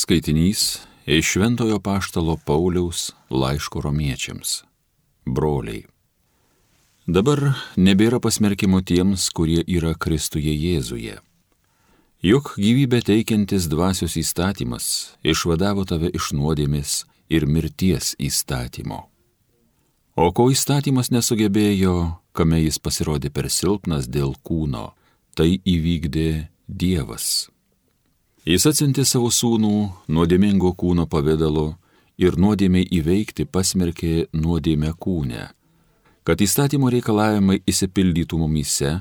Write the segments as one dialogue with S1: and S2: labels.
S1: Skaitinys iš Šventojo Apaštalo Pauliaus laiško Romiečiams. Broliai, dabar nebėra pasmerkimo tiems, kurie yra Kristuje Jėzuje. Juk gyvybę teikiantis dvasios įstatymas išvadavo tave iš nuodėmės ir mirties įstatymo. O ko įstatymas nesugebėjo, kame jis pasirodė per silpnas dėl kūno, tai įvykdė Dievas. Jis atsiuntė savo sūnų nuodėmingo kūno pavidalo ir nuodėmei įveikti pasmerkė nuodėmę kūne, kad įstatymo reikalavimai įsipildytų mumyse,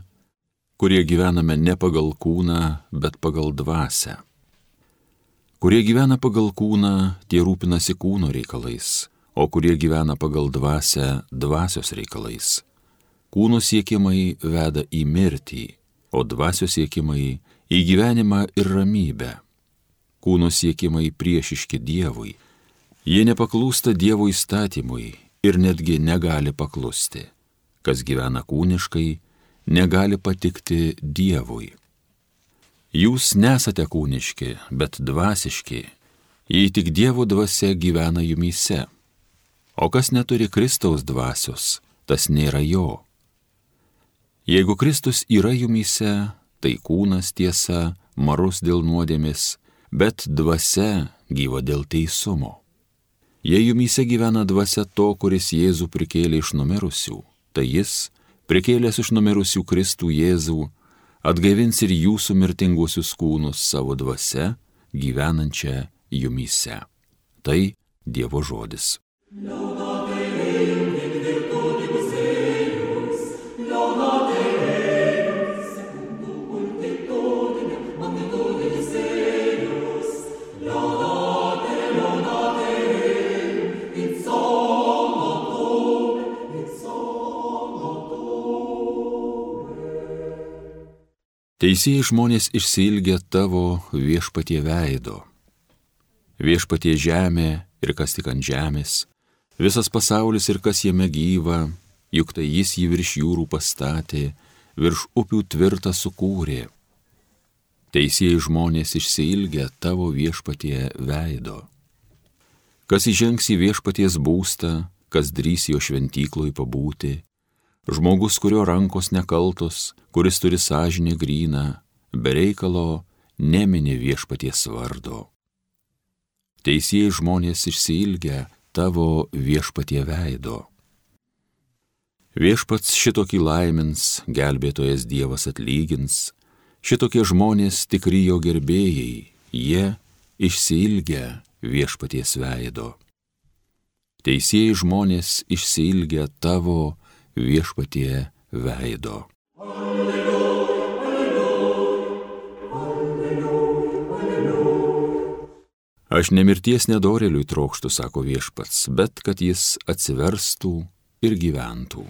S1: kurie gyvename ne pagal kūną, bet pagal dvasią. Kurie gyvena pagal kūną, tie rūpinasi kūno reikalais, o kurie gyvena pagal dvasią, dvasios reikalais. Kūno siekimai veda į mirtį, o dvasios siekimai į gyvenimą ir ramybę. Kūno siekimai priešiški Dievui. Jie nepaklūsta Dievo įstatymui ir netgi negali paklusti. Kas gyvena kūniškai, negali patikti Dievui. Jūs nesate kūniški, bet dvasiški, jei tik Dievo dvasia gyvena jumyse. O kas neturi Kristaus dvasios, tas nėra jo. Jeigu Kristus yra jumyse, tai kūnas tiesa, marus dėl nuodėmės, bet dvasia gyva dėl teisumo. Jei jumyse gyvena dvasia to, kuris Jėzų prikėlė iš numirusių, tai jis, prikėlęs iš numirusių Kristų Jėzų, atgaivins ir jūsų mirtinguosius kūnus savo dvasia, gyvenančią jumyse. Tai Dievo žodis. Teisieji žmonės išsiilgia tavo viešpatie veido. Viešpatie žemė ir kas tik ant žemės, visas pasaulis ir kas jame gyva, juk tai jis jį virš jūrų pastatė, virš upių tvirtą sukūrė. Teisieji žmonės išsiilgia tavo viešpatie veido. Kas įžengs į viešpaties būstą, kas drįs jo šventykloj pabūti, žmogus, kurio rankos nekaltos, kuris turi sąžinę gryną, be reikalo nemini viešpaties vardo. Teisieji žmonės išsiilgia tavo viešpatie veido. Viešpats šitokį laimins, gelbėtojas Dievas atlygins, šitokie žmonės tikri jo gerbėjai, jie išsiilgia viešpaties veido. Teisieji žmonės išsiilgia tavo viešpatie veido. Aš ne mirties nedorėliui trokštu, sako viešpats, bet kad jis atsiverstų ir gyventų.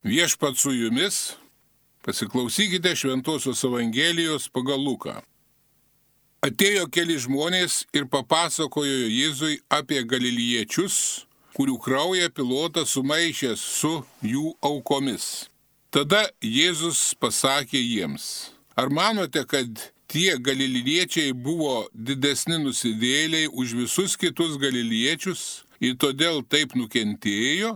S2: Viešpats su jumis, pasiklausykite Šventosios Evangelijos pagal Luką. Atėjo keli žmonės ir papasakojo Jėzui apie galiliečius, kurių kraują Pilotas sumaišė su jų aukomis. Tada Jėzus pasakė jiems: ar manote, kad tie galiliečiai buvo didesni nusidėjėliai už visus kitus galiliečius ir todėl taip nukentėjo?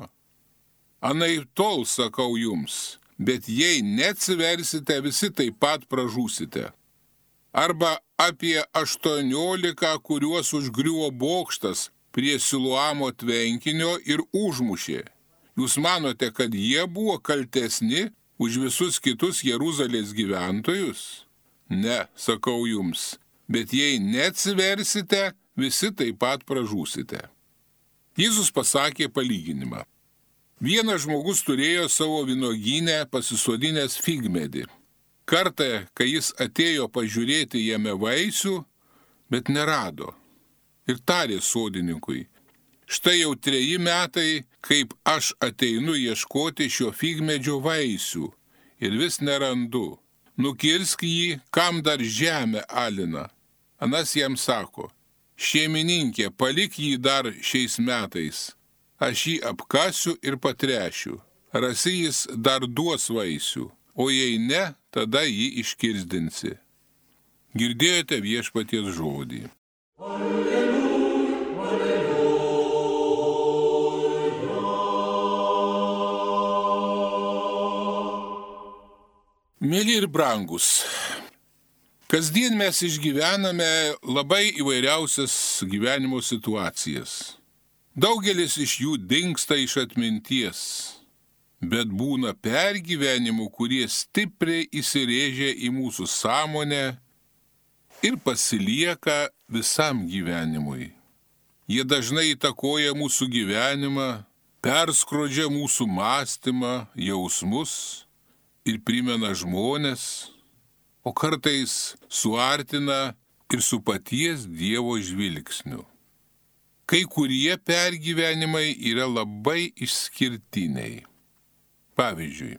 S2: Anaiptol sakau jums, bet jei neatsiversite, visi taip pat pražūsite. Arba apie 18, kuriuos užgriuvo bokštas prie Siluamo tvenkinio ir užmušė. Jūs manote, kad jie buvo kaltesni už visus kitus Jeruzalės gyventojus? Ne, sakau jums, bet jei neatsiversite, visi taip pat pražūsite. Jėzus pasakė palyginimą. Vienas žmogus turėjo savo vynuogyne pasisodinęs figmedį. Kartą, kai jis atėjo pažiūrėti jame vaisių, bet nerado. Ir tarė sodininkui: štai jau 3 metai, kaip aš ateinu ieškoti šio figmedžio vaisių ir vis nerandu. Nukirsk jį, kam dar žemė alina. Anas jam sako: šeimininkė, palik jį dar šiais metais. aš jį apkasiu ir patrešiu. Rasi jis dar duos vaisių, o jei ne, tada jį iškirsdinsi. Girdėjote Viešpaties žodį. Mėly ir brangus, kasdien mes išgyvename labai įvairiausias gyvenimo situacijas. Daugelis iš jų dingsta iš atminties, bet būna pergyvenimų, kurie stipriai įsirėžia į mūsų sąmonę ir pasilieka visam gyvenimui. Jie dažnai įtakoja mūsų gyvenimą, perskrodžia mūsų mąstymą, jausmus ir primena žmones, o kartais suartina ir su paties Dievo žvilgsniu. Kai kurie pergyvenimai yra labai išskirtiniai. Pavyzdžiui,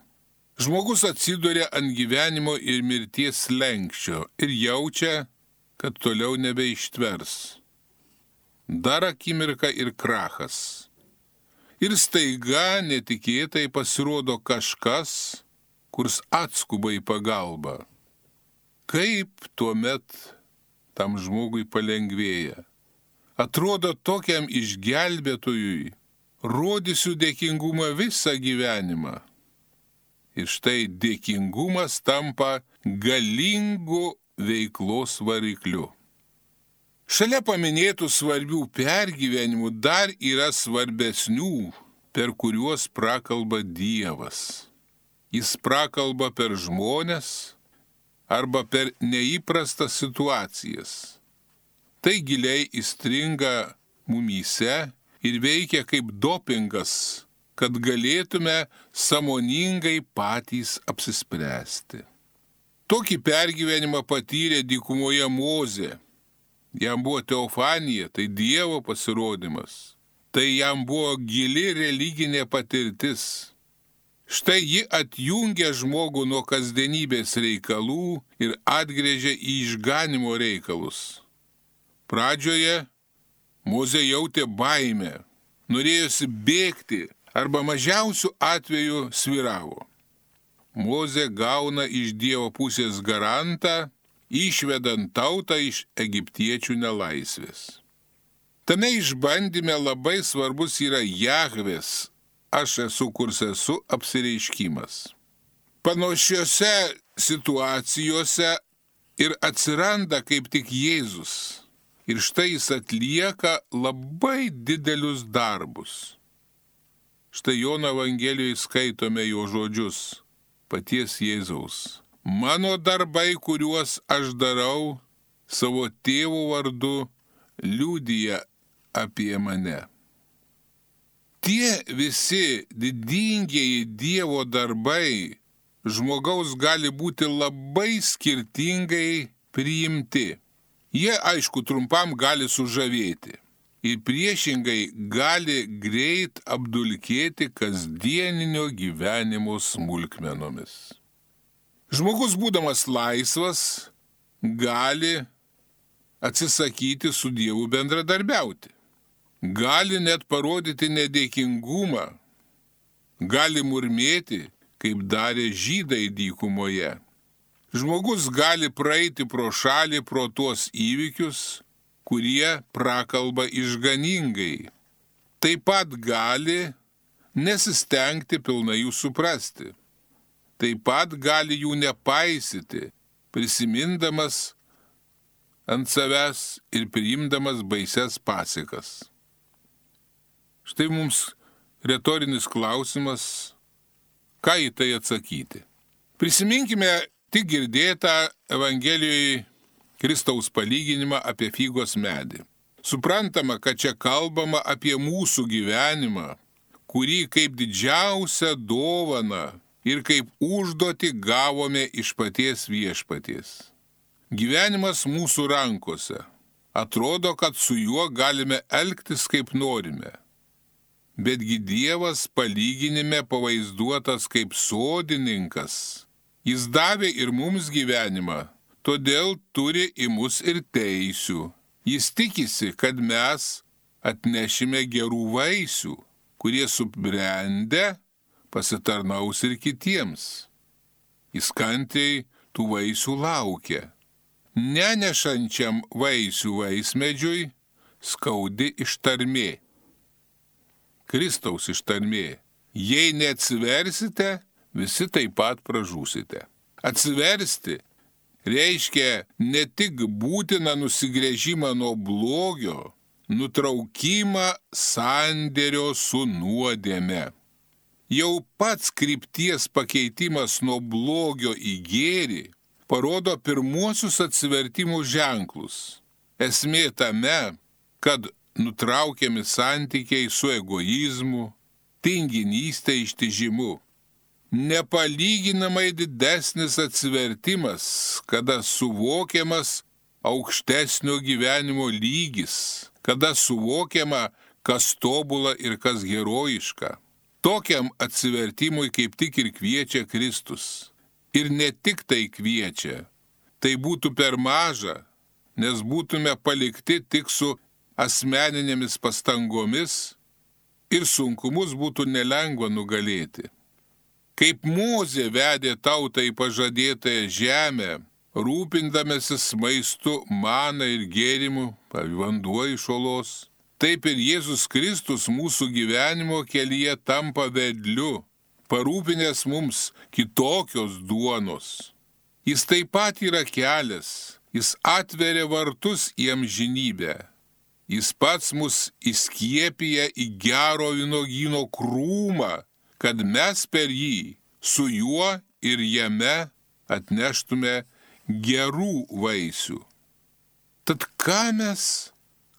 S2: žmogus atsiduria ant gyvenimo ir mirties slenksčio ir jaučia, kad toliau nebeištvers. Dar akimirka ir krachas. Ir staiga netikėtai pasirodo kažkas, kurs atskuba į pagalbą. Kaip tuomet tam žmogui palengvėja? Atrodo, tokiam išgelbėtojui rodysiu dėkingumą visą gyvenimą. Ir štai dėkingumas tampa galingu veiklos varikliu. Šalia paminėtų svarbių pergyvenimų dar yra svarbesnių, per kuriuos prakalba Dievas. Jis prakalba per žmones arba per neįprastas situacijas. Tai giliai įstringa mumyse ir veikia kaip dopingas, kad galėtume sąmoningai patys apsispręsti. Tokį pergyvenimą patyrė dykumoje Mozė. Jam buvo teofanija, tai Dievo pasirodymas. Tai jam buvo gili religinė patirtis. Štai ji atjungia žmogų nuo kasdienybės reikalų ir atgręžia į išganimo reikalus. Pradžioje Mozė jautė baimę, norėjosi bėgti arba mažiausių atveju sviravo. Mozė gauna iš Dievo pusės garantą, išvedant tautą iš egiptiečių nelaisvės. Tame išbandyme labai svarbus yra Jahvės, aš esu kurs esu apsireiškimas. Panašiose situacijose ir atsiranda kaip tik Jėzus. Ir štai jis atlieka labai didelius darbus. Štai Jono Evangelijoje skaitome jo žodžius, paties Jėzaus. Mano darbai, kuriuos aš darau, savo tėvo vardu, liudija apie mane. Tie visi didingieji Dievo darbai žmogaus gali būti labai skirtingai priimti. Jie, aišku, trumpam gali sužavėti ir priešingai gali greit apdulkėti kasdieninio gyvenimo smulkmenomis. Žmogus, būdamas laisvas, gali atsisakyti su Dievu bendradarbiauti. Gali net parodyti nedėkingumą. Gali murmėti, kaip darė žydai dykumoje. Žmogus gali praeiti pro šalį pro tuos įvykius, kurie prakalba išganingai. Taip pat gali nesistengti pilnai jų suprasti. Taip pat gali jų nepaisyti, prisimindamas ant savęs ir priimdamas baises pasekmes. Štai mums retorinis klausimas, ką į tai atsakyti. Prisiminkime tik girdėtą Evangelijoje Kristaus palyginimą apie figos medį. Suprantama, kad čia kalbama apie mūsų gyvenimą, kurį kaip didžiausią dovaną ir kaip užduotį gavome iš paties Viešpaties. Gyvenimas mūsų rankose. Atrodo, kad su juo galime elgtis kaip norime. Betgi Dievas palyginime pavaizduotas kaip sodininkas. Jis davė ir mums gyvenimą, todėl turi į mus ir teisių. Jis tikisi, kad mes atnešime gerų vaisių. kurie subrendę pasitarnaus ir kitiems. Jis kantriai tų vaisių laukia. Nenešančiam vaisių vaismedžiui skaudi ištarmė. Kristaus ištarmė. Jei neatsiversite, visi taip pat pražūsite. Atsiversti reiškia ne tik būtiną nusigręžimą nuo blogio, nutraukimą sandėrio su nuodėme. Jau pats krypties pakeitimas nuo blogio į gėrį parodo pirmuosius atsivertimų ženklus. Esmė tame, kad nutraukiami santykiai su egoizmu, tinginystė, ištižimu. Nepalyginamai didesnis atsivertimas, kada suvokiamas aukštesnio gyvenimo lygis, kada suvokiama, kas tobula ir kas herojiška. Tokiam atsivertimui kaip tik ir kviečia Kristus. Ir ne tik tai kviečia, tai būtų per maža, nes būtume palikti tik su asmeninėmis pastangomis ir sunkumus būtų nelengva nugalėti. Kaip Mozė vedė tautą į pažadėtąją žemę, rūpindamasis maistu, mana ir gėrimu, vanduo iš olos, taip ir Jėzus Kristus mūsų gyvenimo kelyje tampa vedliu, parūpinęs mums kitokios duonos. Jis taip pat yra kelias, jis atveria vartus į amžinybę. Jis pats mus įskiepija į gero vynuogyno krūmą, kad mes per jį, su juo ir jame atneštume gerų vaisių. Tad ką mes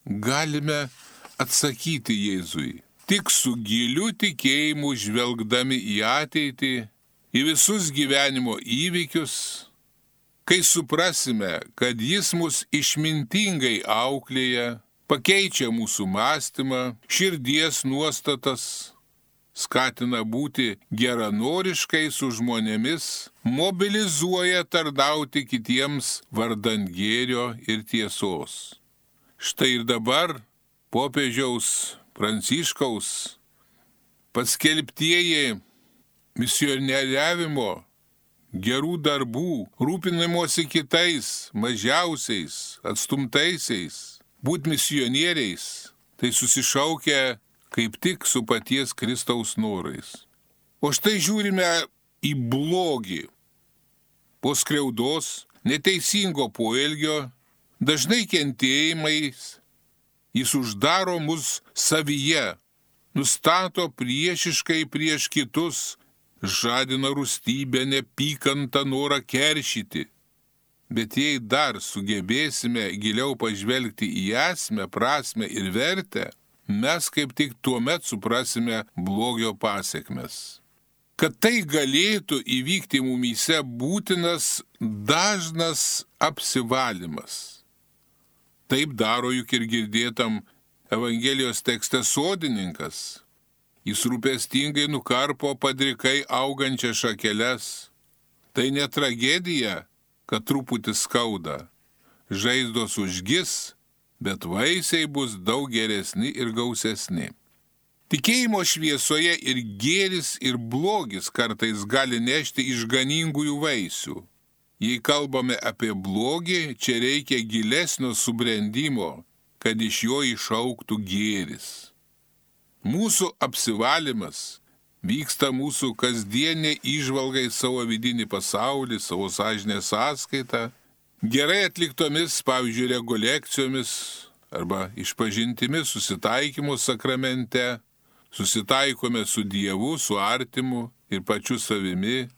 S2: galime atsakyti Jėzui? Tik su giliu tikėjimu žvelgdami į ateitį, į visus gyvenimo įvykius, kai suprasime, kad jis mus išmintingai auklėja, pakeičia mūsų mąstymą, širdies nuostatas, skatina būti geranoriškai su žmonėmis, mobilizuoja tarnauti kitiems vardan gėrio ir tiesos. Štai ir dabar popiežiaus Pranciškaus paskelbtieji misionieriavimo, gerų darbų, rūpinimosi kitais, mažiausiais, atstumtaisiais, būt misionieriais, tai susišaukia kaip tik su paties Kristaus norais. O štai žiūrime į blogį. Po skriaudos, neteisingo poelgio, dažnai kentėjimais, jis uždaro mus savyje, nustato priešiškai prieš kitus, žadina rūstybę, neapykantą, norą keršyti. Bet jei dar sugebėsime giliau pažvelgti į esmę, prasmę ir vertę, mes kaip tik tuomet suprasime blogio pasekmes. Kad tai galėtų įvykti mumyse būtinas dažnas apsivalymas. Taip daro juk ir girdėtam Evangelijos tekste sodininkas. Jis rūpestingai nukarpo padrikai augančias šakeles. Tai ne tragedija, kad truputį skauda. Žaizdos užgis, bet vaisiai bus daug geresni ir gausesni. Tikėjimo šviesoje ir gėris, ir blogis kartais gali nešti išganingųjų vaisių. Jei kalbame apie blogį, čia reikia gilesnio subrendimo, kad iš jo išaugtų gėris. Mūsų apsivalymas vyksta mūsų kasdienė įžvalga į savo vidinį pasaulį, savo sąžinės sąskaitą, gerai atliktomis, pavyzdžiui, rekolekcijomis arba išpažintimis susitaikymo sakramente, susitaikome su Dievu, su artimu ir pačiu savimi,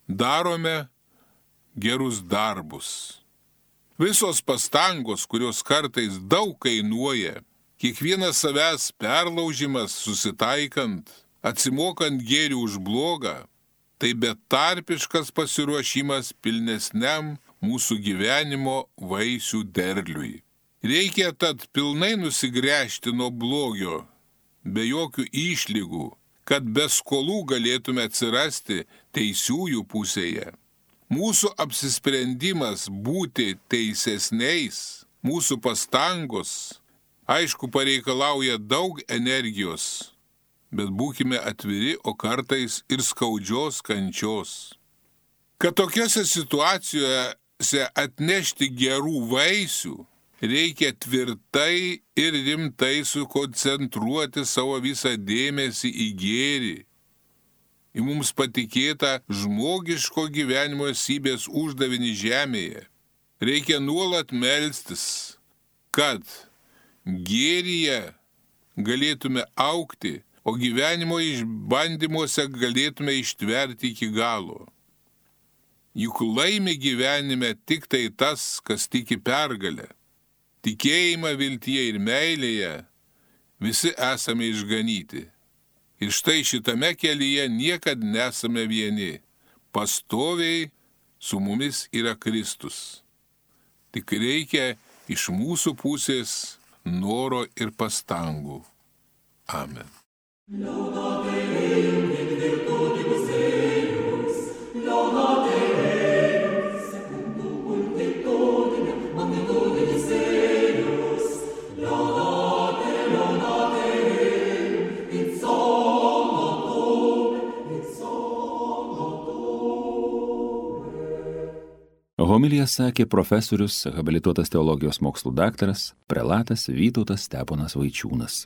S2: darome gerus darbus. Visos pastangos, kurios kartais daug kainuoja, kiekvienas savęs perlaužimas susitaikant, atsimokant gėrį už blogą, tai betarpiškas pasiruošimas pilnesniam mūsų gyvenimo vaisių derliui. Reikia tad pilnai nusigręžti nuo blogio, be jokių išlygų, kad be skolų galėtume atsirasti teisiųjų pusėje. Mūsų apsisprendimas būti teisesniais, mūsų pastangos, aišku, pareikalauja daug energijos, bet būkime atviri, o kartais ir skaudžios kančios. Kad tokiose situacijose atnešti gerų vaisių, reikia tvirtai ir rimtai sukoncentruoti savo visą dėmesį į gėrį, į mums patikėtą žmogiško gyvenimo esybės uždavinį žemėje. Reikia nuolat melstis, kad gėryje galėtume augti, o gyvenimo išbandymuose galėtume ištverti iki galo. Juk laimi gyvenime tik tai tas, kas tiki pergalę. Tikėjimą, viltyje ir meilėje visi esame išganyti. Ir štai šitame kelyje niekad nesame vieni. Pastoviai su mumis yra Kristus. Tik reikia iš mūsų pusės noro ir pastangų. Amen.
S1: Homiliją sakė profesorius, habilituotas teologijos mokslų daktaras, prelatas Vytautas Steponas Vaičiūnas.